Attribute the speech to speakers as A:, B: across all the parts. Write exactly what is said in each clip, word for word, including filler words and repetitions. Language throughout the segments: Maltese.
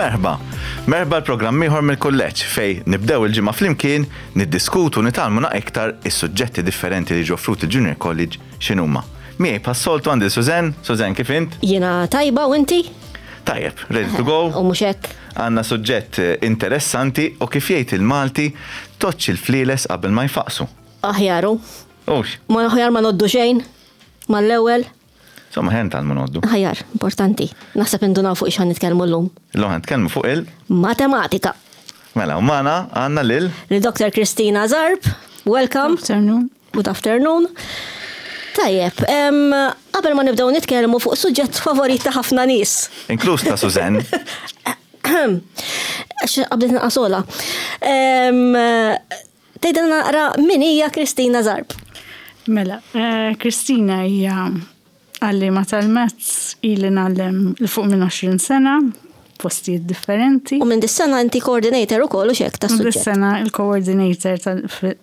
A: Merħba! Merħba l-programm ieħor mill-kulleġġ fejn nibdew il-ġimgħa flimkien niddiskutu, nitgħallmu iktar is-suġġetti differenti li ġo offruti Junior College x'inhuma. Miegħi bħas-soltu għandi Suzanne. Suzanne, kif int?
B: Jiena tajba, u inti?
A: Tajjeb, ready to go?
B: U mhux hekk.
A: Għandna suġġett interessanti u, kif jgħid il-Malti, tgħoddx il-flieles qabel ma jfaqsu.
B: Aħjaru.
A: Ux,
B: Ma aħjar ma ngħoddu xejn. Mal-ewwel.
A: Insomma, ħen tal ngħoddu.
B: Aħjar, importanti. Naħseb indunaw fuq x'ħa nitkellmu llum.
A: Illum ħa nitkellmu fuq il-
B: Matematika.
A: Mela, u magħna għandna lil
B: Li Doktor Kristina Zarb. Welcome.
C: Good afternoon.
B: Good afternoon. Tajjeb, em, qabel ma nibdew nitkellmu fuq suġġett favorit ta' ħafna nies.
A: Inkluż ta' Suzanne.
B: Għax qabdet naqasola. Tgħidilna naqra min hija Kristina Zarb?
C: Mela, eh, Kristina hija għallima tal-maths, ili ngħallem 'l fuq minn għoxrin sena, postijiet differenti.
B: U minn dis-sena inti coordinator ukoll u xek ta'
C: U
B: suġġett.
C: Dis-sena il-coordinator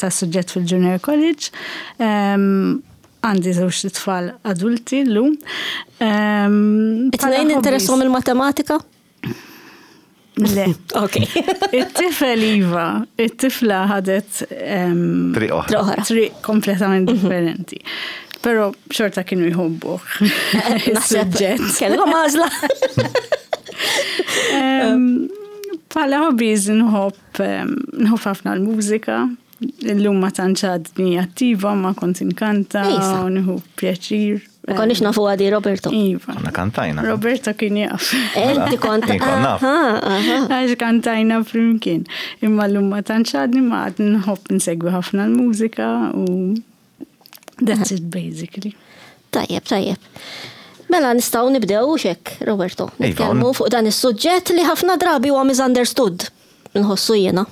C: tas-suġġett fil-Junior College. Em, Għandi żewġ tfal adulti llum. Em,
B: It-tnejn
C: bħala
B: interessahom
C: hobbies-
B: il-matematika?
C: Le.
B: Ok.
C: It-tifel iva, it-tifla ħadet em,
A: Triq oħra.
B: Triq oħra.
C: triq kompletament differenti. Pero xorta kienu jħobbuh
B: Naħseb
C: is-suġġett.
B: kellhom għażla.
C: Em, Bħala hobbies nħobb em, nħobb ħafna l-mużika. Illum ma tantx għadni attiva, ma kont inkanta
B: Ejsa.
C: u nieħu pjaċir.
B: Ma konniex nafu għadi, Roberto.
C: Iva.
A: Konna kantajna.
C: Roberto kien jaf.
B: Inti kont.
A: Jien kont naf.
B: Aha, aha.
C: Għax kantajna flimkien. Imma llum ma tantx għadni, ma għad nħobb nsegwi ħafna l-mużika u that's it basically.
B: Tajjeb, tajjeb. Mela nistgħu nibdew xek, Roberto.
A: Iva,
B: Nitkellmu fuq dan is-suġġett li ħafna drabi huwa misunderstood. Nħossu jiena.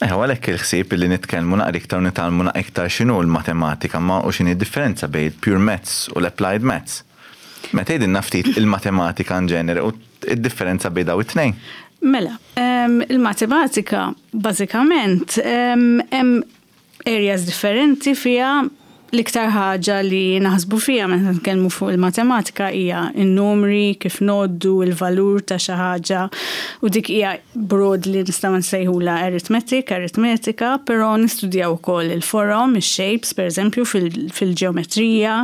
A: Eh, għalhekk il-ħsieb li nitkellmu naqra iktar, nitgħallmu naqra iktar x'inhu l-matematika ma u x'inhi differenza bejn il-pure maths u l-applied maths. Meta tgħidilna ftit il-matematika in ġenere u id-differenza bejn daw it-tnejn.
C: Mela, em, il-matematika bażikament em, hemm areas differenti fija. L-iktar ħaġa li naħsbu fija meta nitkellmu fuq il-matematika hija n-numri, kif ngħoddu, il-valur ta' xi ħaġa, u dik hija broadly nistgħu nsejħula arithmetic, aritmetika, però nistudjaw ukoll il-forom, il-shapes, per eżempju, fil- fil-ġeometrija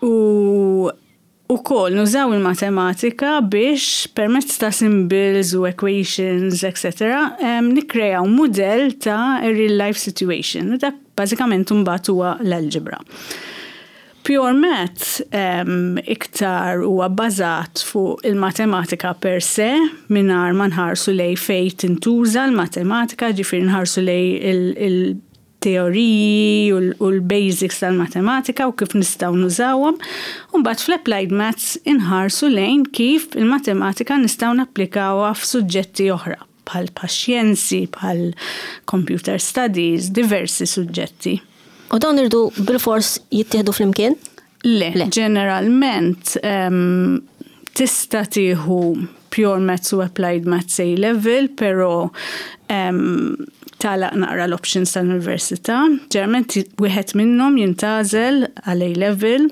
C: u ukoll nużaw il-matematika biex permezz ta' symbols u equations, et cetera, um, nikkrejaw model ta' a real life situation. U dak bażikament mbagħad huwa l-algebra. Pure math um, iktar huwa bbażat fuq il-matematika per se, mingħajr ma nħarsu lej fej tintuża l-matematika, ġifieri nħarsu lej il- il teoriji u l- u l-basics tal-matematika u kif nistgħu nużawhom. U mbagħad fl-applied maths inħarsu lejn kif il-matematika nistgħu napplikawha f'suġġetti oħra bħal xjenzi, bħal computer studies, diversi suġġetti.
B: U dawn iridu bil-fors jittieħdu flimkien?
C: Le,
B: Le.
C: ġeneralment um, tista' tieħu pure maths u applied maths A level, pero um, tagħlaq naqra l-options tal-università. Ġeneralment wieħed minnhom jintgħażel għal A level.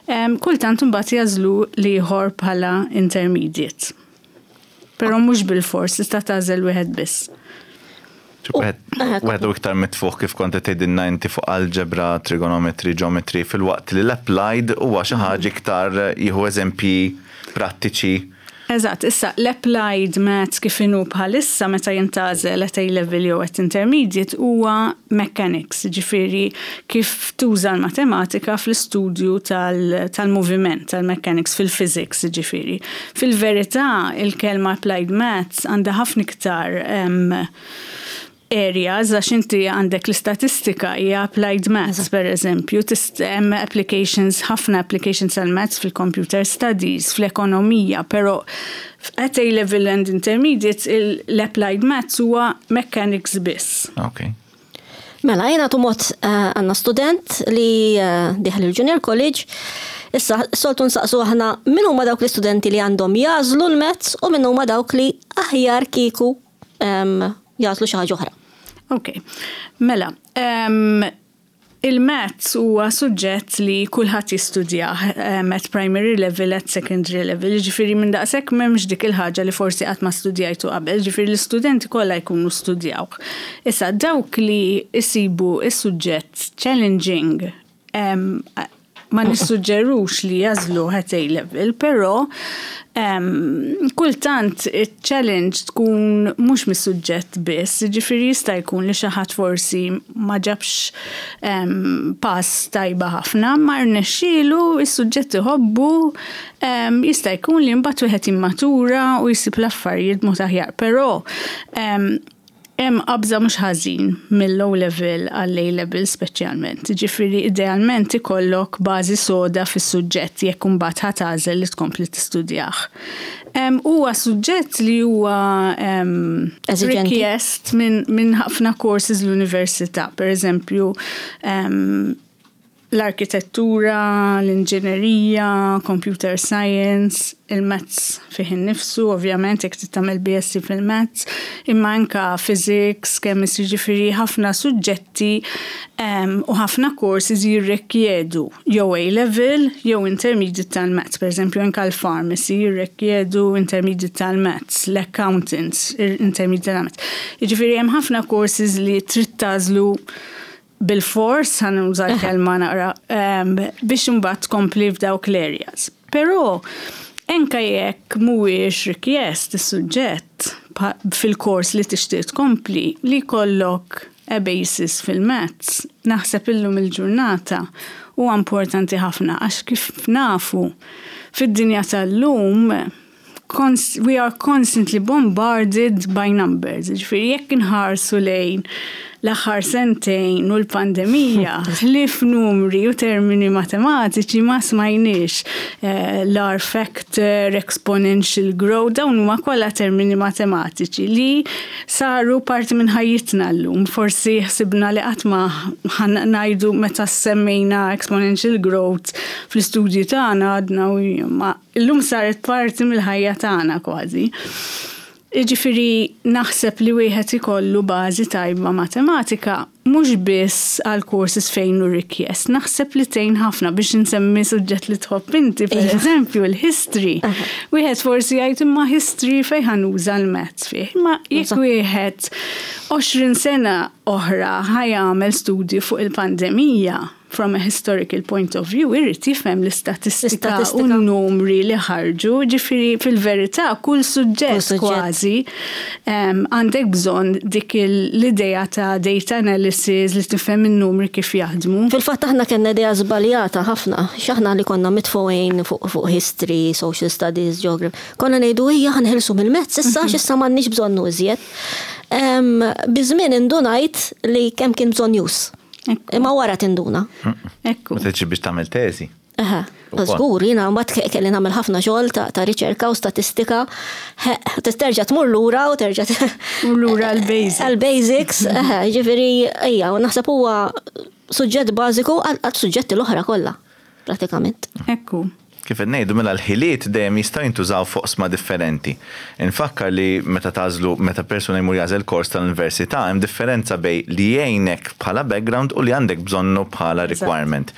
C: Um, kultant imbagħad jagħżlu l-ieħor bħala intermediate. Però mhux bil-fors, tista' tagħżel wieħed biss.
A: Wieħed wieħed u iktar mitfuħ, kif kont qed tgħidilna inti, fuq algebra, trigonometry, geometry, filwaqt li l-applied huwa xi ħaġa iktar jieħu eżempji prattiċi.
C: Eżatt, issa l-applied maths kif inhu bħalissa meta jintgħażel at A level jew at intermediate huwa mechanics, ġifieri kif tuża l-matematika fl-istudju tal- tal-moviment, tal-mechanics, fil-physics, ġifieri. Fil-verità, il-kelma applied maths għandha ħafna iktar em, areas, għax inti għandek l-istatistika hija applied maths, per eżempju, tist- hemm applications, ħafna applications għal maths fil-computer studies, fl-ekonomija, pero at A level and intermediate il- l-applied maths huwa mechanics biss.
A: Ok.
B: Mela, jena tumot eh, għandna student li eh, dieħel il-Junior College. Issa, soltu nsaqsu aħna min huma dawk l-istudenti li għandhom jagħżlu l-maths u min huma dawk li aħjar kieku em, jagħżlu xi ħaġa oħra.
C: Ok, mela, um, Il-maths huwa suġġett li kulħadd jistudjah um, at primary level, at secondary level, ġifieri minn daqshekk m'hemmx dik il-ħaġa li forsi qatt ma studjajtu qabel, ġifieri l-istudenti kollha jkunu studjaw. Issa dawk li jsibu is-suġġett challenging um, ma nissuġġerux li jagħżlu at A level, però um, kultant il-challenge tkun mhux mis-suġġett biss, ġifieri jista' jkun li xi ħadd forsi ma ġabx um, pass tajba ħafna, ma rnexxielu is-suġġett iħobbu, um, jista' jkun li mbagħad wieħed jimmatura u jsib l-affarijiet mod aħjar, però um, hemm qabża mhux ħażin mill-O level għall-A level speċjalment. Ġifieri idealment ikollok bażi soda fis-suġġett jekk imbagħad ħa tagħżel li tkompli tistudjah. Em, Huwa suġġett li huwa em,
B: Eżiġenti.
C: rikjest minn min ħafna courses l-università. Per eżempju, em, l-arkitettura, l-inġinerija, computer science, il-maths fih innifsu, ovvjament, jekk tagħmel B S c fil-maths, imma anka physics, chemistry, ġifieri ħafna suġġetti um, u ħafna courses jirrikjedu jew A-level jew intermediate tal-maths. Per eżempju, anka l-pharmacy jirrikjedu intermediate tal-maths, l-accountants intermediate tal-maths. Jiġifieri hemm ħafna courses li trid tagħżlu bil-fors, ħa nuża l-kelma naqra, um, biex imbagħad tkompli f'dawk l-areas. Però anka jekk mhuwiex rikjest is-suġġett pa- fil-kors li tixtieq tkompli, li jkollok a basis fil-maths, naħseb illum il-ġurnata huwa importanti ħafna għax kif nafu fid-dinja tal-lum cons we are constantly bombarded by numbers. Ġifieri jekk inħarsu lejn l-aħħar sentejn u l-pandemija, ħlief numri u termini matematiċi ma smajniex, eh, l-R factor, exponential growth, dawn huma kollha termini matematiċi li saru parti minn ħajjitna llum. Forsi ħsibna li qatt ma ħa ngħidu meta semmejna exponential growth fl-istudji tagħna għadna u ma illum saret parti mill-ħajja tagħna kważi. Ġifieri naħseb li wieħed ikollu bażi tajba matematika mhux biss għal courses fejn hu rikjest. Naħseb li tgħin ħafna biex insemmi suġġett li tħobb inti, per eżempju, l-history. Wieħed forsi jgħid, imma history fejn ħa nuża l-maths fih. Imma jekk wieħed għoxrin sena oħra ħa jagħmel studju fuq il-pandemija from a historical point of view, irrid jifhem l-istatistika u
B: L-istatistika.
C: n-numri li ħarġu, ġifieri fil-verità kull suġġett
B: Kull suġġett.
C: kważi em, għandek bżonn dik il- l-idea ta' data analysis li tifhem in-numri kif jaħdmu.
B: Fil-fatt aħna kellna idea żbaljata ħafna, x'aħna li konna mitfugħin fuq fuq history, social studies, geography. Konna ngħidu ejja ħa neħilsu mill-maths, issa x'issa m'għandniex bżonnu iżjed. Em, Biż-żmien indunajt li kemm kien bżonn use.
C: Ekku.
B: Imma wara tinduna.
C: Ekku.
A: Ma tiġi biex tagħmel teżi.
B: Eħe,
A: Ukoll.
B: żgur, jiena mbagħad ke- kelli nagħmel ħafna xogħol ta' ta' riċerka u statistika. He, Terġa' tmur lura u terġa'
C: U lura għal-basics.
B: Għal-basics, eħe, ġifieri ejja, u naħseb huwa suġġett bażiku għal għal suġġetti l-oħra kollha, pratikament.
C: Ekku.
A: Kif qed ngħidu mela l-ħiliet dejjem jistgħu jintużaw fuq oqsma differenti. Infakkar li meta tagħżlu meta persuna jmur jagħżel kors tal-università hemm differenza bejn li jgħinek bħala background u li għandek bżonnu bħala requirement.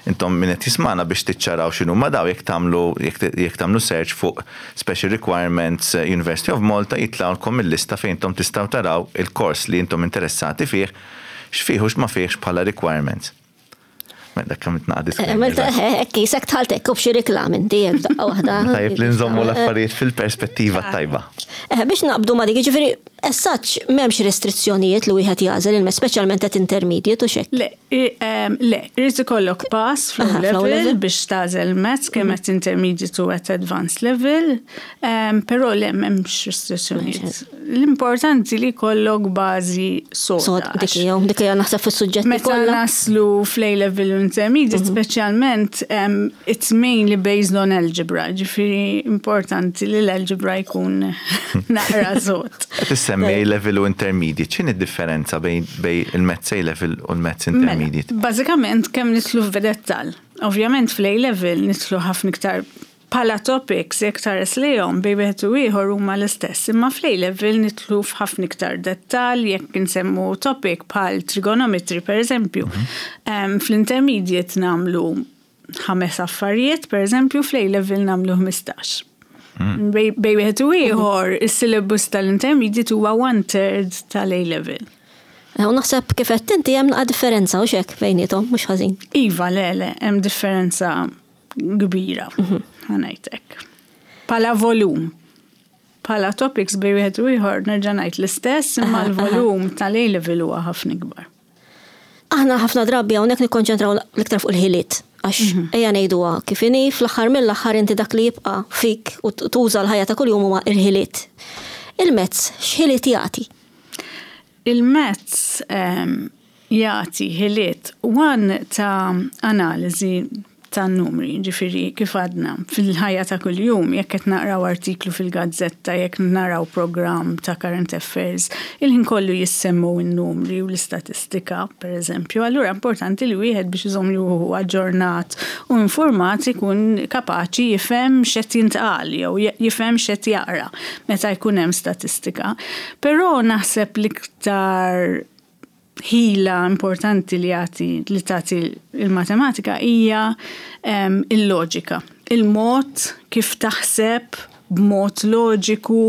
A: Intom min qed jismana biex tiċċaraw x'inhu ma daw jekk tagħmlu jekk tagħmlu search fuq Special Requirements eh, University of Malta jitlgħulkom il-lista fejn intom tistgħu taraw il-kors li intom interessati fih x'fih u x'ma fihx bħala requirements. Mela dak kemm itnaqad
B: Għamilt hekk jisek tħaltek u b'xi reklam inti hekk daqqa waħda.
A: Tajjeb li nżommu l-affarijiet fil-perspettiva tajba.
B: Eh, biex naqbdu ma dik, ġifieri, as such m'hemmx restrizzjonijiet li wieħed jagħżel il speċjalment at intermediate u xek.
C: Le, i- em, le, irid ikollok pass fl
B: Aha, fl-O
C: level
B: level.
C: biex tagħżel maths kemm at intermediate u at advanced level, em, però le m'hemmx restrizzjonijiet. L-importanti li jkollok bażi
B: Sod,
C: soda.
B: dik hija, dik hija naħseb fis-suġġetti
C: Meta
B: kollha.
C: naslu fl-A level u intermediate, speċjalment, um, it's mainly based on algebra, ġifieri importanti li l-algebra jkun naqra sod.
A: Qed issemmi A level u intermediate, x'inhi d-differenza bejn bejn il-Maths A level u l-Maths
C: Mela,
A: intermediate?
C: Bażikament kemm nidħlu f'dettal. Ovvjament fl-A level nidħlu ħafna iktar Bħala topics, jekk tħares lejhom bejn wieħed u ieħor huma l-istess, imma fl-A level nidħlu f'ħafna iktar dettal jekk insemmu topic bħal trigonometry per eżempju. Em, Fl-intermediate nagħmlu ħames affarijiet, per eżempju, fl-A level nagħmlu ħmistax. Bejn bejn wieħed u ieħor, is-syllabus tal-intermediate huwa one third tal-A level.
B: Eh, U naħseb kif qed inti hemm naqa' differenza u xek bejniethom, mhux ħażin.
C: Iva, le, le, hemm differenza kbira, ħa ngħidlek. Bħala volum. Bħala topics bejn wieħed u ieħor nerġa' ngħid l-istess, imma
B: Aha,
C: l-volum tal-A level huwa ħafna ikbar.
B: Aħna ħafna drabi hawnhekk nikkonċentraw l-iktar fuq il-ħiliet. Għax ejja ngħiduha kif inhi fl-aħħar mill-aħħar inti dak li jibqa' fik u tuża l-ħajja ta' kuljum huma il-ħiliet. Il-maths x'ħiliet jagħti?
C: Il-maths um, jagħti ħiliet one ta' analiżi ta' numri, ġifieri kif għadna fil-ħajja ta' kuljum, jekk qed naqraw artiklu fil-gazzetta, jekk naraw program ta' current affairs, il-ħin kollu jissemmu n-numri u l-istatistika, per eżempju. Allura importanti li wieħed biex iżomm ruħu aġġornat u informat ikun kapaċi jifhem x'qed jintqal jew jifhem x'qed jaqra meta jkun hemm statistika. Però naħseb l-iktar ħila importanti li jagħti li tagħti il-matematika hija um, il-loġika. Il-mod kif taħseb b'mod loġiku,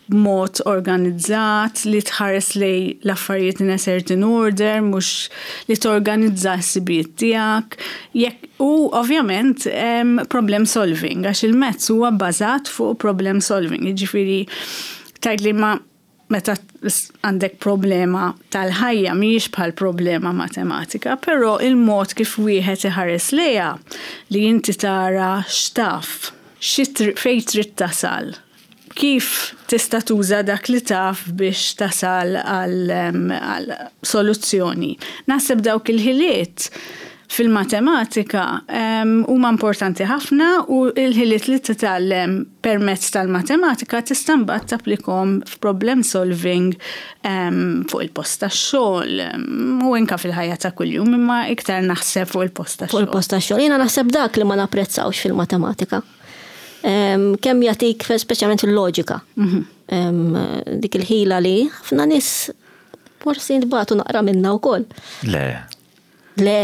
C: b'mod organizzat, li tħares lejn l-affarijiet in a certain order, mhux li torganizza s-ħsibijiet tiegħek. Jekk u ovvjament um, problem solving, għax il-maths huwa bbażat fuq problem solving. Jiġifieri tgħid li ma meta għandek problema tal-ħajja mhijiex bħal problema matematika, però il-mod kif wieħed iħares lejha li inti tara x'taf, fejn trid tasal, kif tista' tuża dak li taf biex tasal għal soluzzjoni. Naħseb dawk il-ħiliet fil-matematika huma importanti ħafna u il-ħiliet li titgħallem permezz tal-matematika tista' mbagħad tapplikhom f'problem solving fuq il-post tax-xogħol u anke fil-ħajja ta' kuljum imma iktar naħseb fuq il-post tax-xogħol.
B: Fuq il-post tax-xogħol. Jiena naħseb dak li ma napprezzawx fil-matematika. Kemm jagħtik speċjalment il-loġika. Mhm. Dik il-ħila li ħafna nies forsi nbatu naqra minna wkoll.
A: Le.
B: Le.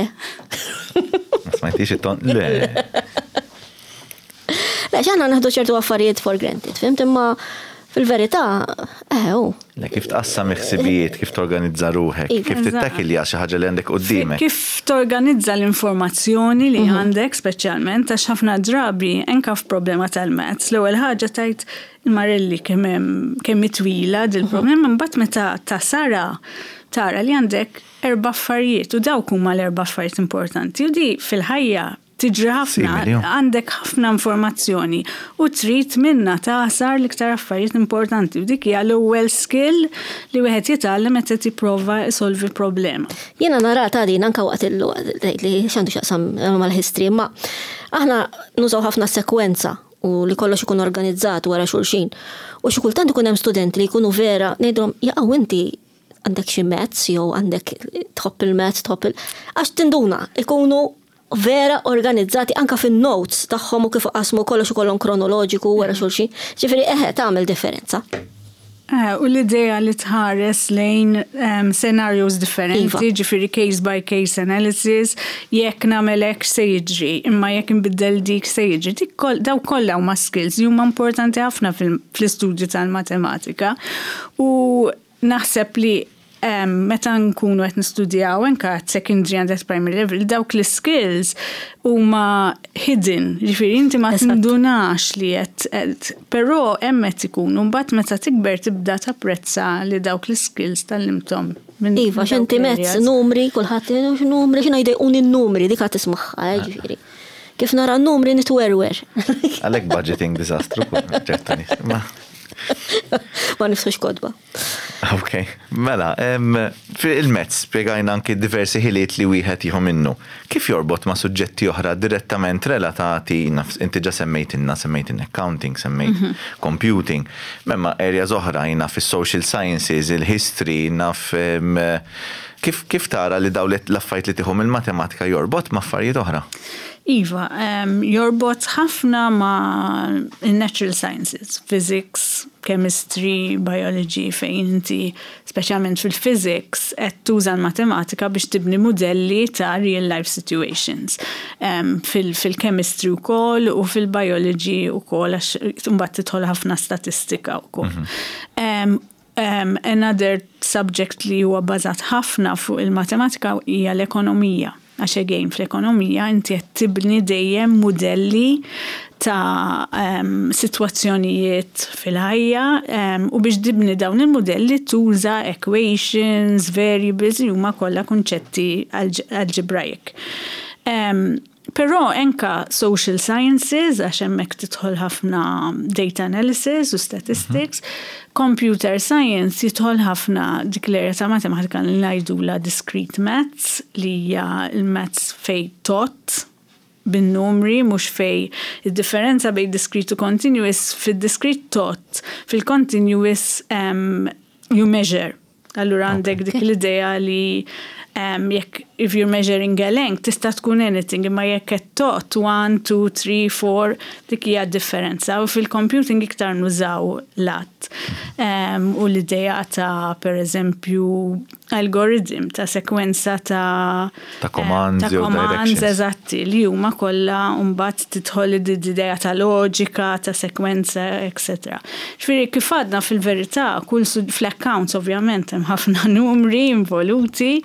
A: Ma smajtix it-ton? Le.
B: Le, aħna nieħdu ċertu affarijiet for granted, fhimt imma fil-verità, eh, u.
A: Le, kif tqassam ħsibijiet, kif torganizza ruħek,
B: Iva.
A: kif tittakilja xi ħaġa li għandek qudiemek.
C: Kif torganizza l-informazzjoni li għandek speċjalment għax ħafna drabi anke f'problema tal-maths. L-ewwel ħaġa tgħid il-marelli kemm hemm kemm twila dil-problema, mbagħad meta tasara tara li għandek erba' affarijiet u dawk huma l-erba' affarijiet importanti u di fil-ħajja tiġri ħafna,
A: Simili, jo.
C: għandek ħafna informazzjoni u trid minna tagħsar l-iktar affarijiet importanti u dik hija l-ewwel skill li wieħed jitgħallem meta tipprova isolvi problema.
B: Jiena nara ta' din anka waqt il li x'għandu x'jaqsam mal-history, imma aħna nużaw ħafna sekwenza u li kollox ikun organizzat wara xulxin. U xi kultant ikun hemm studenti li jkunu vera ngħidulhom jaqgħu inti għandek xi maths jew għandek tħobb il-maths, tħobb il għax tinduna ikunu vera organizzati anka fin-notes tagħhom u kif qasmu kollox ikollhom kronoloġiku wara xulxin. Ġifieri eħe tagħmel differenza.
C: Eh, u l-idea li tħares lejn um, scenarios differenti,
B: Iva.
C: ġifieri case by case analysis, jekk nagħmel hekk se jiġri, imma jekk nbiddel dik se jiġri. Dik kol, daw kollha huma skills li huma importanti ħafna fil- fl-istudju tal-matematika. U naħseb li um, meta nkunu qed nistudjaw anke at secondary and at primary level, dawk l-skills huma hidden, ġifieri inti ma
B: Eżatt.
C: tindunax li qed qed- però hemm qed ikunu mbagħad meta tikber tibda tapprezza li dawk l-skills tgħallimthom. minn
B: Iva,
C: minn dawk
B: x'inti maths,
C: l-areas.
B: numri, kulħadd numri, x'inhu jdejquni n-numri, dik qed tismagħha, eh, ġifieri. Kif nara n-numri nitwerwer.
A: Għalek budgeting disastru, ċertu nies. Ma-
B: Ma niftħux kotba.
A: Ok, mela, em, fil-maths spiegajna anki diversi ħiliet li wieħed jieħu minnu. Kif jorbot ma' suġġetti oħra direttament relatati, naf, inti ġa semmejtinna, semmejtin accounting, semmejt computing, imma areas oħra jina fis-social sciences, il-history, naf em, kif, kif tara li daw l-affarijiet li tieħu mill-matematika jorbot ma' affarijiet oħra?
C: Iva, um, jorbot ħafna ma' natural sciences, physics, chemistry, biology, fejn inti, speċjalment fil-physics, qed tuża l-matematika biex tibni modelli ta' real life situations. Um, Fil-chemistry u kollox u fil-biology u kollox, għax mbagħad tidħol ħafna statistika u kollox. Mm -hmm. um, um, another subject li huwa bażat ħafna fuq il-matematika hija l-ekonomija. Għax again fl-ekonomija inti qed tibni dejjem modelli ta' um, sitwazzjonijiet fil-ħajja um, u biex tibni dawn il-modelli tuża equations, variables li huma kollha kunċetti algebraic. Um, Però anka social sciences, għax hemmhekk tidħol ħafna data analysis u statistics, mm -hmm. computer science jidħol ħafna dik l-area ta' matematika li ngħidula discrete maths, li hija l-maths fej tot bin-numri, mhux fej id-differenza bejn discrete u continuous, fil-discrete tot, fil-continuous um, you measure. Allura għandek dik l-idea li um, jekk if you're measuring a length tista' tkun anything, imma jekk qed tot one, two, three, four, dik hija differenza. U fil-computing iktar nużaw lat. Um, u l-idea ta' per eżempju algoritm ta' sekwenza ta'
A: Ta' commands
C: ta'
A: jew
C: commands
A: directions.
C: eżatti li huma kollha mbagħad tidħol id-idea ta' loġika, ta' sekwenza, etc. Ġifieri kif għadna fil-verità, kull sud- fl-accounts ovvjament hemm ħafna numri involuti,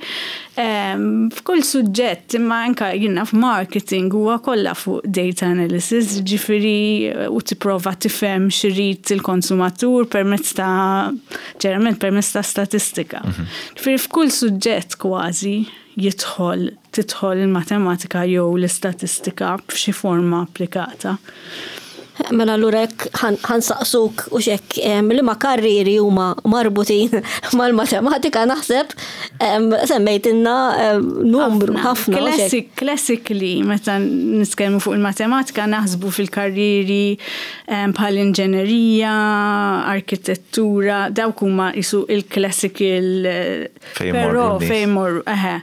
C: em, f'kull suġġett imma anka jiena f'marketing huwa kollha fuq data analysis, ġifieri u tipprova tifhem x'irid il-konsumatur permezz ta' ġeneralment permezz ta' statistika. Ġifieri f'kull suġġett kważi jidħol tidħol il-matematika jew l-istatistika f'xi forma applikata.
B: Mela allura hekk ħa nsaqsuk u xek li ma karriri huma marbutin mal-matematika naħseb em, semmejtilna em, numru ħafna. u xek.
C: Classic, classically, meta nitkellmu fuq il-matematika, naħsbu fil-karriri em, bħal inġenerija, arkitettura, dawk huma jisu il-classical eh,
A: Fejn imorru
C: però
A: n-nies.
C: fejn imorru, eħe.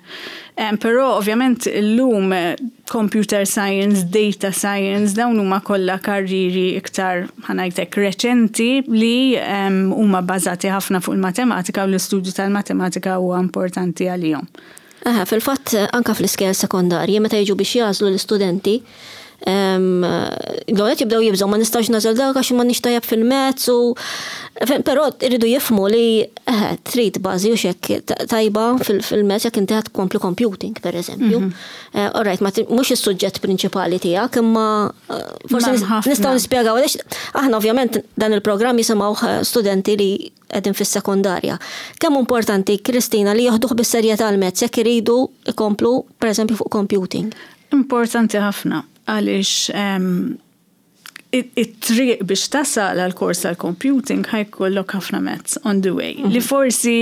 C: Em, Però ovvjament illum eh, computer science, data science, dawn huma kollha karriri iktar ħa ngħidlek reċenti li em, huma bbażati ħafna fuq il-matematika u l-istudju tal-matematika huwa importanti għalihom.
B: Aha, fil-fatt anka fl-iskejjel sekondarji meta jiġu biex jagħżlu l-istudenti, l-għonet jibdew jibżgħu ma nistax nagħżel dak għax ma tajjeb fil-maths u però irridu jifhmu li eh, trid bażi u xek tajba fil-maths jekk inti tkompli computing per eżempju. Eh, All right, ma mhux is-suġġett prinċipali tiegħek imma eh, forsi nistgħu nispjegaw għaliex aħna ovvjament dan il-programm jisimgħu studenti li qegħdin fis-sekondarja. Kemm importanti, Kristina, li joħduh bis-serjetà l-maths jekk iridu ikomplu per eżempju fuq computing?
C: Importanti ħafna għaliex it-triq biex tasal għal kors tal-computing ħa jkollok ħafna maths on the way. Li mhm. forsi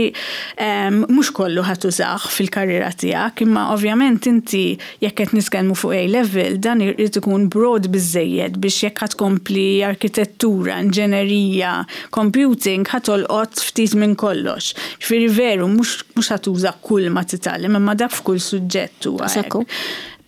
C: mhux kollu ħa tużah fil-karriera tiegħek, imma ovvjament inti jekk qed nitkellmu fuq A level dan irid ikun broad biżejjed biex jekk ħa tkompli arkitettura, inġenerija, computing ħa tolqot ftit minn kollox. Ġifieri veru mhux ħa tuża kull ma titgħallem, imma dak f'kull suġġett huwa.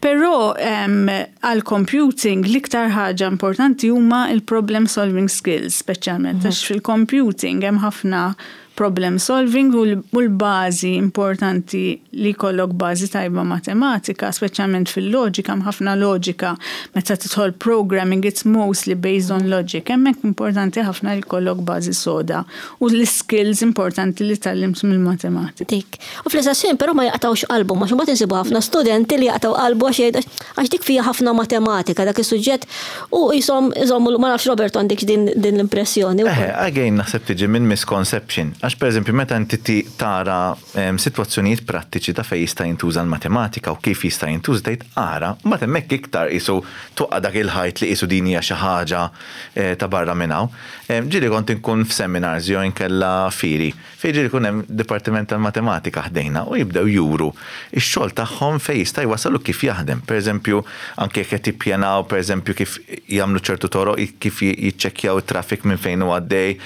C: Però għal computing l-iktar ħaġa importanti huma il-problem solving skills, speċjalment mhm. għax fil-computing hemm ħafna problem solving u l-bażi importanti li jkollok bażi tajba matematika, speċjalment fil-loġika, hemm ħafna loġika meta tidħol programming it's mostly based on logic. Hemmhekk importanti ħafna li jkollok bażi soda u l-skills importanti li tgħallimt mill-matematika.
B: Dik. U fl-istess però ma jaqtawx qalbu, ma xumbat insibu ħafna studenti li jaqtaw qalbu għax għax dik fija ħafna matematika dak is-suġġett u jisom iżommu ma nafx Roberto għandek din l-impressjoni.
A: Eh, again naħseb tiġi minn misconception. Għax per eżempju, meta inti tara situazzjonijiet prattiċi ta' fej jista' jintuża l-matematika u kif jista' jintuża tgħid ara, mbagħad hemmhekk iktar qisu tuqqa dak il-ħajt li qisu din hija xi ħaġa eh, ta' barra minn hawn. Ġieli kont inkun f'seminars jew inkella firi, fejn ġieli kun hemm dipartiment tal-matematika ħdejna u jibdew juru ix-xogħol tagħhom fejn jista' jwasalu kif jaħdem. Per eżempju, anke jekk qed jippjanaw per eżempju kif jagħmlu ċertu toroq, kif jiċċekkjaw it-traffic minn fejn hu għaddej,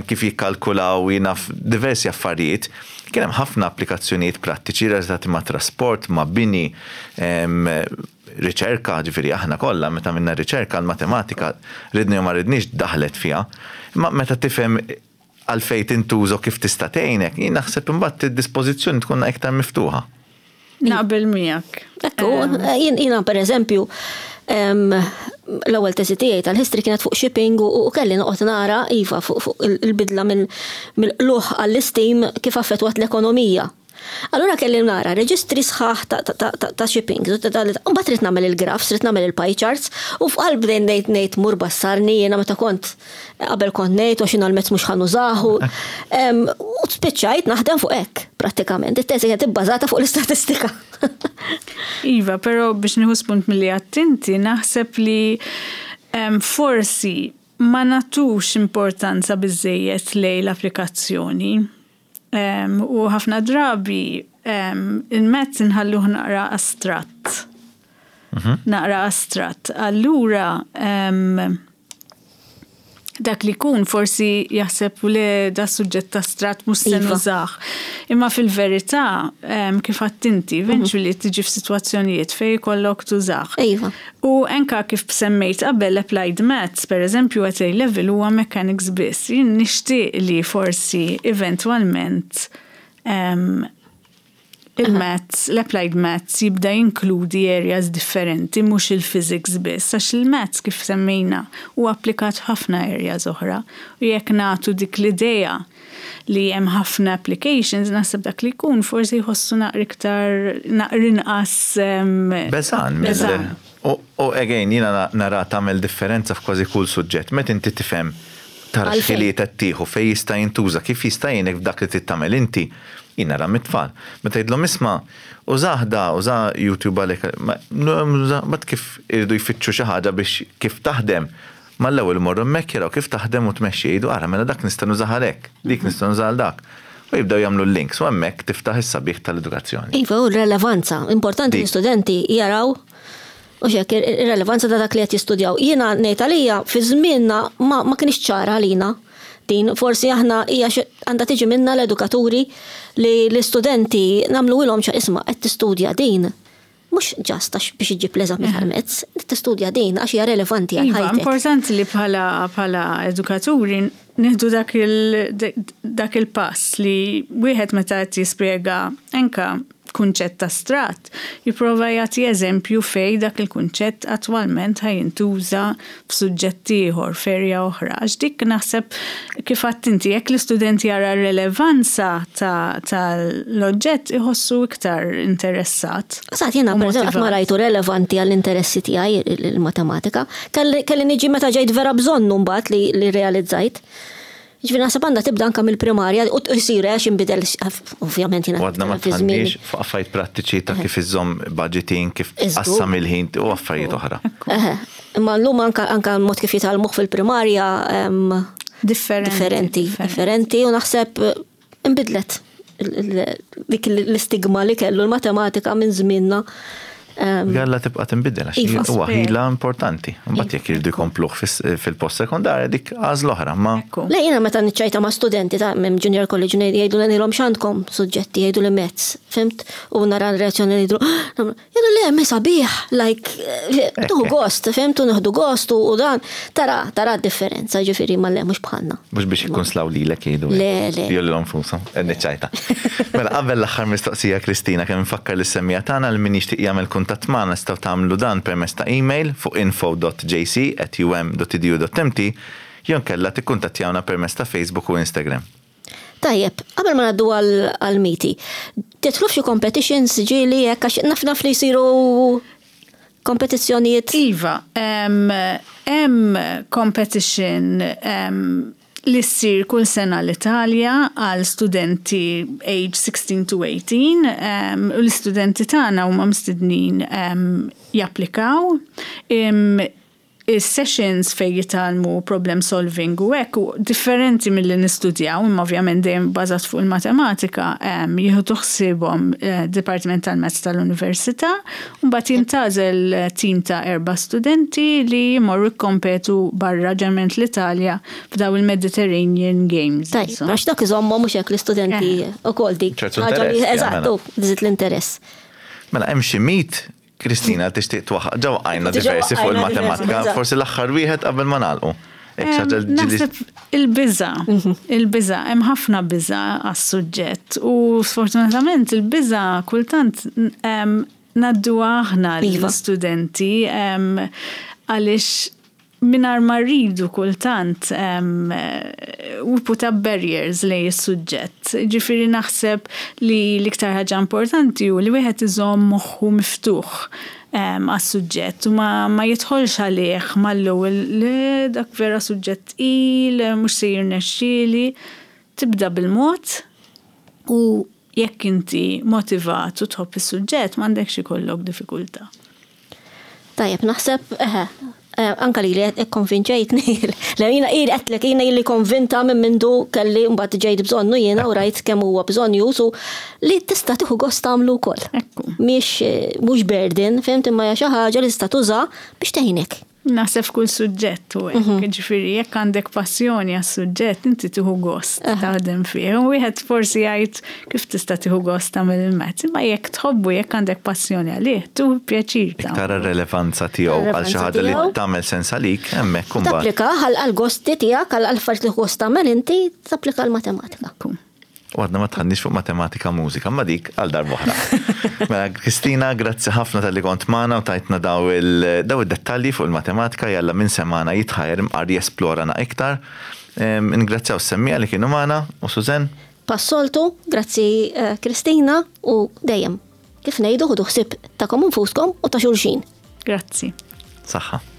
A: kif jikkalkulaw jien naf diversi affarijiet. Kien hemm ħafna applikazzjonijiet prattiċi relatati ma' trasport, ma' bini, riċerka, ġifieri aħna kollha meta minna riċerka l-matematika ridni u ma ridniex daħlet fiha. Imma meta tifhem għalfejn tintuża kif tista' tgħinek, jien naħseb imbagħad id-dispożizzjoni tkun iktar miftuħa.
C: Naqbel miegħek.
B: Ekku, jiena per eżempju, l-ewwel teżi tiegħi tal-history kienet fuq shipping u kelli noqgħod nara iva fuq il-bidla mill-qlugħ għall-steam kif affettwat l-ekonomija. Allura kelli nara reġistri sħaħ ta' shipping. Mbagħad trid nagħmel il-graphs, trid nagħmel il-pie charts u f'qalb bdejn ngħid ngħid mur bassarni jiena meta kont qabel kont ngħid u x'inhu l-mezz mhux ħa nużahu. U spiċċajt naħdem fuq hekk prattikament. It-teżi kienet ibbażata fuq l-istatistika.
C: Iva, però biex nieħu spunt milli għedt inti, naħseb li forsi ma nagħtux importanza biżejjed lejn l-applikazzjoni. Um, u ħafna drabi um, il-maths inħalluh naqra astratt. Mhm. Naqra astratt. Allura, um, dak li kun forsi jaħseb li da suġġett astratt mhux se iva. nużah. Imma fil-verità, kif għedt inti, eventually tiġi f'sitwazzjonijiet fejn jkollok tużah.
B: Iva.
C: U anka kif semmejt qabel applied maths, per eżempju, at A level huwa mechanics biss. Jien nixtieq li forsi eventwalment il-maths, l-applied maths jibda jinkludi areas differenti, mhux il-physics biss, għax il-maths kif semmejna u applikat ħafna areas oħra. U jekk nagħtu dik l-idea li hemm ħafna applications, naħseb dak li jkun forsi jħossu naqra iktar naqra inqas.
A: Beżgħan. U again, jiena nara tagħmel differenza f'kważi kull suġġett. Meta inti tifhem tara x'ħiliet qed tieħu fejn jista' jintuża, kif jista' jgħinek f'dak li tittamel inti, jien nara mit-tfal. Meta jgħidlhom isma' użah da, uża YouTube għalek, mat kif iridu jfittxu xi ħaġa biex kif taħdem. Mal-ewwel morru hemmhekk jaraw kif taħdem u tmexxi jgħidu ara mela dak nista' nużah għalhekk, dik nista' nużah għal dak. U jibdew jagħmlu l-links u hemmhekk tiftaħ is-sabiħ tal-edukazzjoni.
B: Iva, u r-relevanza. Importanti l-istudenti jaraw u xek, ir-relevanza ta' dak li qed jistudjaw. Jiena ngħid għalija fi żmienna ma, ma kienx ċara għalina din forsi aħna hija għandha tiġi minna l-edukaturi li l-istudenti nagħmlu ilhom ċa isma' qed tistudja din. Mhux just għax biex iġib l-eżami tal-maths, tistudja din għax hija relevanti għal
C: Iva,
B: ħajtek.
C: importanti li bħala bħala edukaturi nieħdu dak il dak il-pass li wieħed meta qed jispjega anka kunċett astratt, jipprova jagħti eżempju fej dak il-kunċett attwalment ħa jintuża f'suġġett ieħor, f'erja oħra. Għax dik naħseb kif għedt inti jekk l-istudent jara r-relevanza tal-oġġett iħossu iktar interessat.
B: Sa jiena
C: u
B: per eżempju, qatt ma
C: motivat.
B: rajtu relevanti għall-interessi tiegħi il-matematika. Kelli kelli niġi meta ġejt vera bżonnu mbagħad li, li realizzajt. Ġifieri naħseb għandha tibda anke mill-primarja u jsir għax inbidel ovvjament jiena
A: U għadna ma
B: fi żmieni.
A: tħandix fuq affarijiet prattiċi ta' kif iżżomm budgeting, kif
B: Iżgur.
A: qassam il-ħin u affarijiet oħra.
B: Eħe, Imma llum anka anka mod kif jitgħallmuh fil-primarja em,
C: Differenti.
B: differenti, differenti u naħseb eh, inbidlet il- il- dik l-istigma li kellu l-matematika minn żmienna. Em,
A: Għalla tibqa tinbidel għax
B: Iva.
A: huwa ħila importanti. Mbagħad jekk iridu jkompluh fis- fil-post sekondarja dik għażla oħra, ma
C: Ekku.
B: Le, jiena meta niċċajta ma' studenti ta' minn junior college jgħidu li ngħidilhom x'għandkom suġġetti, jgħidu li maths, fhimt? U nara l-reazzjoni li jgħidu, jgħidu le, me sabiħ, like, eh, tuħu gost, fhimt? U nieħdu gost u u dan, tara, tara differenza, ġifieri ma le, mhux bħalna.
A: mhux biex ikun slaw lilek jgħidu.
B: Le, le.
A: Jew lilhom infushom, niċċajta. Mela qabel l-aħħar mistoqsija Kristina kemm nfakkar lis-semmiegħa tagħna li min jixtieq jagħmel kuntatt magħna nistgħu tagħmlu dan permezz ta' email fuq info dot J C at U M dot edu dot M T jew inkella tikkuntattjawna permezz ta' Facebook u Instagram.
B: Tajjeb, qabel ma ngħaddu għal-miti, tidħlu f'xi competitions ġieli hekk għax naf naf li jsiru kompetizzjonijiet.
C: Iva, hemm competition em, li ssir kull sena l-Italja għal studenti age sixteen to eighteen em, u l-istudenti tagħna huma mistednin em, japplikaw. Im, Is-sessions fej jitgħallmu problem solving u hekk u differenti milli nistudjaw, imma ovvjament dejjem bażat fuq il-matematika, em, jieħdu ħsiebhom eh, Dipartiment tal-Maths tal-Università, u mbagħad jintgħażel eh, tim ta' erba' studenti li jmorru jikkompetu barra ġeneralment l-Italja f'daw il-Mediterranean Games.
B: Tajjeb,
C: Insomma.
B: għax dak iżommhom mhux hekk l-istudenti u kol dik.
A: ċertu
B: ħaġa li-
A: interess,
B: Eżattu, tżid l-interess.
A: Mela hemm xi mit Kristina, tixtieq twaħħaq, ġa għajna diversi fuq il-matematika, forsi l-aħħar wieħed qabel ma nagħlqu.
C: Naħseb il-biża, mhm. il-biża, hemm ħafna biża għas-suġġett u sfortunatament il-biża kultant ngħadduha aħna iva. l-studenti għaliex mingħajr ma rridu kultant we put up barriers lejn is-suġġett. Ġifieri naħseb li l-iktar ħaġa importanti hu li wieħed iżomm moħħu miftuħ għas-suġġett u ma, ma jidħolx għalih mal-ewwel li dak vera suġġett il, mhux se jirnexxieli. Tibda bil-mod u jekk inti motivat u tħobb is-suġġett, m'għandekx ikollok diffikultà.
B: Tajjeb, naħseb, eħe, eh, anka li li konvinċejtni, li jiena ili għedtlek, jiena ili konvinta minn mindu kelli mbagħad ġejt bżonnu jiena u rajt kemm huwa bżonn jusu li tista' tieħu gost tagħmlu wkoll.
C: Ekku.
B: Mhix eh, mhux burden, fhimt, imma hija xi ħaġa li tista' tuża biex tgħinek.
C: Naħseb kull suġġett u hekk, ġifieri jekk għandek passjoni għas-suġġett, inti tieħu gost taħdem fih. U wieħed forsi jgħid kif tista' tieħu gost tagħmel il-maths, imma jekk tħobbu, jekk għandek passjoni għalih, tieħu pjaċir
A: tagħmel. Tara r-relevanza tiegħu għal xi
B: Relevanza
A: ħaġa li
B: tiegħu.
A: tagħmel sens għalik, hemmhekk imbagħad.
B: Tapplika għal gosti tiegħek, għal affarijiet li gost tagħmel inti, tapplika l-matematika.
C: Ekku.
A: U għadna ma dħalniex fuq matematika mużika, ma dik għal darb'oħra. Mela, Kristina, grazzi ħafna talli kont magħna u tajtna daw il- daw id-dettalji fuq il-matematika, jalla minn semana jitħajr mqar jesplorana iktar. Em, Ingrazzjaw s-semmiegħa li kienu magħna u Suzen.
B: Bħas-soltu, grazzi eh, Kristina, u dejjem kif ngħidu, ħudu ħsieb tagħkom infuskom u ta' xulxin.
C: Grazzi.
A: Saħħa.